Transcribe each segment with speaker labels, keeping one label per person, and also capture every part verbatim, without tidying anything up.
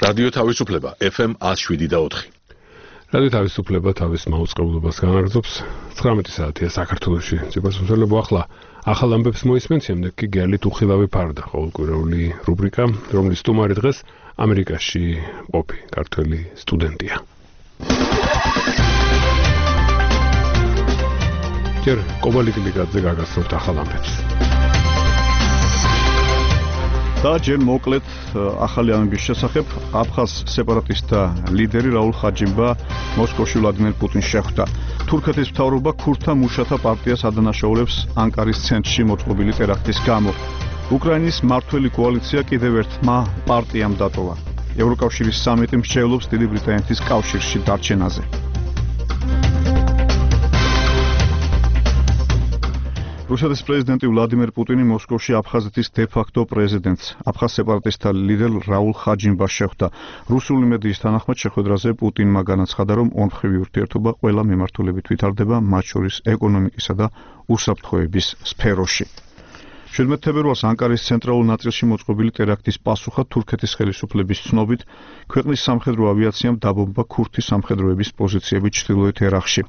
Speaker 1: რადიო თავისუფლება F M one oh seven და four.
Speaker 2: რადიო თავისუფლება თავის მაუწყებლობას განაგრძობს. ცხრამეტი საათია საქართველოში. ციფროსმცველებო ახლა ახალ ამბებს მოისმენთ, შემდეგ კი გელით უხილავი ფარდა, ყოველკვირეული რუბრიკა, რომლის სტუმარი დღეს ამერიკაში ყოფი ქართველი სტუდენტია. ჯერ კობალი კლიკაძე გაგასწორთ ახალ ამბებს.
Speaker 3: და ჯერ მოკლედ ახალი ამბების შესახებ აფხაზ სეპარატისტთა ლიდერი რაულ ხაჯიმბა მოსკოვში ვლადიმერ პუტინს შეხვდა. თურქეთის მთავრობა ქურთთა მუშათა პარტიას ადანაშაულებს ანკარის ცენტრში მოწყობილი ტერაქტის გამო. უკრაინის მმართველი კოალიცია კიდევ ერთმა პარტიამ დატოვა. ევროკავშირის სამიტი მსჯელობს დიდი ბრიტანეთის კავშირში დარჩენაზე. რუსეთის პრეზიდენტი ვლადიმერ პუტინი მოსკოვში აფხაზეთის დე-ფაქტო პრეზიდენტს, აფხაზ სეპარატისტთა ლიდერ რაულ ხაჯიმბას შეხვდა. რუსული მედიის თანახმად შეხვედრაზე პუტინმა განაცხადა, რომ ორმხრივი ურთიერთობა ყველა მიმართულებით ვითარდება, მათ შორის ეკონომიკისა და უსაფრთხოების სფეროში. შვიდმეტ თებერვალს ანკარის ცენტრალურ ნაწილში მოწყობილი ტერაქტის პასუხად თურქეთის ხელისუფლების ცნობით, ქვეყნის სამხედრო ავიაციამ დაბომბა ქურთი სამხედროების პოზიციები ჩრდილოეთ ერაყში.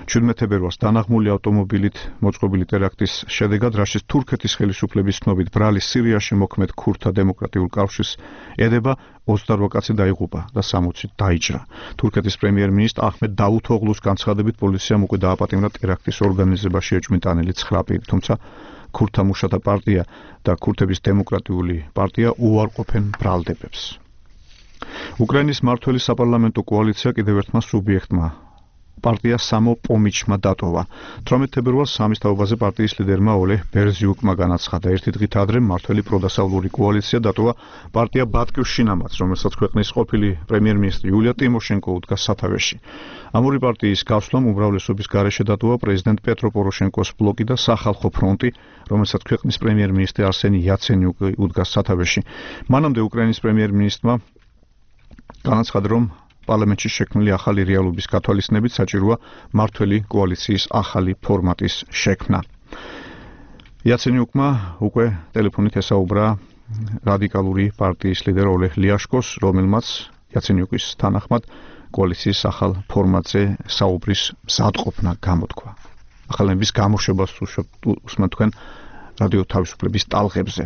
Speaker 3: შვიდმეტ თებერვალს დანაღმული ავტომობილით მოწყობილი ტერაქტის შედეგად, რაშიც თურქეთის ხელისუფლების ცნობით ბრალი სირიაში მოქმედ ქურთთა დემოკრატიულ კავშირს ედება, ოცდაოთხ კაცი დაიღუპა და სამოცი დაიჭრა. თურქეთის პრემიერ-მინისტრ აჰმედ დავუთოღლუს განცხადებით, პოლიციამ უკვე დააპატიმრა ტერაქტის ორგანიზებაში ეჭვმიტანილი ცხრა პირი, თუმცა ქურთთა მუშათა პარტია და ქურთების დემოკრატიული პარტია უარყოფენ ბრალდებებს. უკრაინის მმართველი საპარლამენტო კოალიცია კიდევ ერთმა სუბიექტმა პარტია სამოპომიჩმა დატოვა. თვრამეტ თებერვალს სამის თაობაზე პარტიის ლიდერმა ოლეჰ ბერზიუკმა განაცხადა, ერთი დღით ადრე მმართველი პროდასავლური კოალიცია დატოვა პარტია ბატკივშინამაც, რომელსაც ქვეყნის ყოფილი პრემიერ-მინისტრი იულია ტიმოშენკო უდგას სათავეში. ამ ორი პარტიის გასვლამ უმრავლესობის გარეშე დატოვა პრეზიდენტ პეტრო პოროშენკოს ბლოკი და სახალხო ფრონტი, რომელსაც ქვეყნის პრემიერ-მინისტრი არსენი იაცენიუკი უდგას სათავეში. მანამდე უკრაინის პრემიერ-მინისტრმა განაცხადა, რომ პარლამენტში შექმნილი ახალი რეალობის გათვალისწინებით საჭიროა მმართველი კოალიციის ახალი ფორმატის შექმნა. იაცენიუკმა უკვე ტელეფონით ესაუბრა რადიკალური პარტიის ლიდერ ოლეჰ ლიაშკოს, რომელმაც იაცენიუკის თანახმად კოალიციის ახალ ფორმატზე საუბრის მზადყოფნა გამოთქვა. ახალების გამოშვებას უსმენთ თქვენ რადიო თავისუფლების ტალღებზე.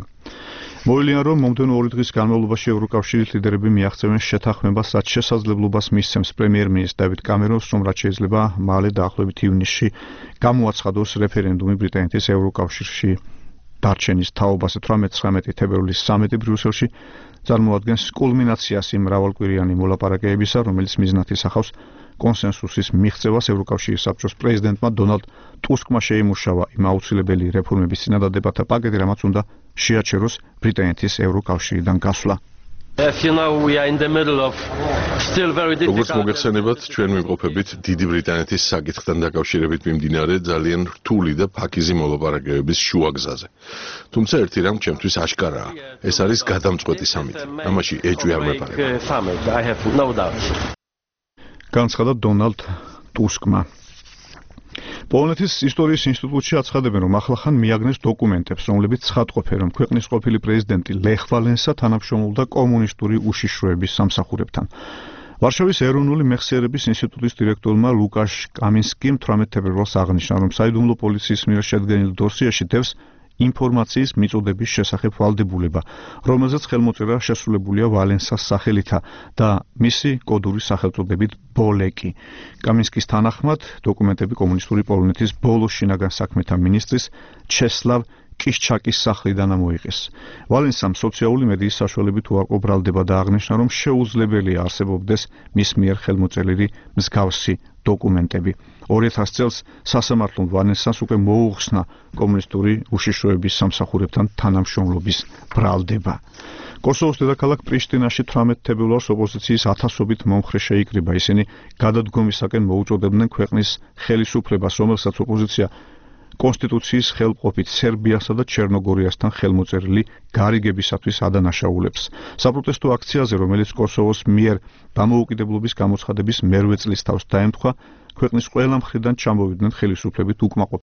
Speaker 3: მოვლენია, რომ მომდევნო ორი დღის განმავლობაში ევროკავშირის ლიდერები მიაღწევენ შეთანხმებას, რაც შესაძლებლობას მისცემს პრემიერ-მინისტრ დავიდ კამერონს, რომ რაც შეიძლება მალე დაახლოებით ივნისში გამოაცხადოს რეფერენდუმი ბრიტანეთის ევროკავშირში დარჩენის თაობაზე. თვრამეტი თებერვლის სამიტი ბრიუსელში წარმოადგენს კულმინაციას იმ მრავალკვირიანი მოლაპარაკებისა, რომელიც მიზნად ისახავს კონსენსუსის მიღწევას. ევროკავშირის საბჭოს პრეზიდენტმა დონალდ ტუსკმა შეიმუშავა იმ აუცილებელი რეფორმების წინადადებათა პაკეტი, რამაც უნდა შეაჩეროს ბრიტანეთის ევროკავშირიდან გასვლა.
Speaker 1: როგორც მოგეხსენებათ, ჩვენ ვიმყოფებით დიდი ბრიტანეთის საკითხთან დაკავშირებით მიმდინარე ძალიან რთული და ფაქიზი მოლაპარაკებების შუაგზაზე. თუმცა ერთი რამ ჩემთვის აშკარაა, ეს არის გადამწყვეტი სამიტი. ამაში ეჭვი არ მეპარება.
Speaker 3: განცხადა დონალდ ტუსკმა. პოლონეთის ისტორიის ინსტიტუტში აცხადებენ, რომ ახლახან მიაგნეს დოკუმენტებს, რომლებიც ცხადყოფენ, რომ ქვეყნის ყოფილი პრეზიდენტი ლეხ ვალენსა თანამშრომლობდა კომუნისტური უშიშროების სამსახურებთან. ვარშავის ეროვნული მეხსიერების ინსტიტუტის დირექტორმა ლუკაშ კამინსკიმ თვრამეტ თებერვალს აღნიშნა, რომ საიდუმლო პოლიციის მიერ შედგენილ დოსიაში დევს ინფორმაციის მიწოდების შესახებ ვალდებულება, რომელზეც ხელმოწერა შესრულებულია ვალენსას სახელითა და მისი კოდური სახელწოდებით ბოლეკი. კამინსკის თანახმად, დოკუმენტები კომუნისტური პოლონეთის ბოლო შინაგან საქმეთა მინისტრის ჩესლავ კიშჩაკის სახლიდან ამოიღეს. ვალენსამ სოციალური მედიის საშუალებით უარყო ბრალდება და აღნიშნა, რომ შეუძლებელია არსებობდეს მის მიერ ხელმოწერილი მსგავსი დოკუმენტები. ორი ათასი წელს სასამართლომ ვალენსას უკვე მოუხსნა კომუნისტური უშიშროების სამსახურებთან თანამშრომლობის ბრალდება. კოსოვოს დედაქალაქ პრიშტინაში თვრამეტ თებერვალს ოპოზიციის ათასობით მომხრე შეიკრიბა. ისინი გადადგომისაკენ მოუწოდებდნენ ქვეყნის ხელისუფლებას, რომელსაც ოპოზიცია კონსტიტუციის ხელმყოფით სერბიასა და ჩერნოგორიასთან ხელმოწერილი გარიგებისათვის ადანაშაულებს. საპროტესტო აქციაზე, რომელიც კოსოვოს მიერ დამოუკიდებლობის გამოცხადების მერვე წლის თავს დაემთხვა, ქვეყნის ყველა მხრიდან ჩამოვიდნენ ხელისუფლებით უკმაყოფილე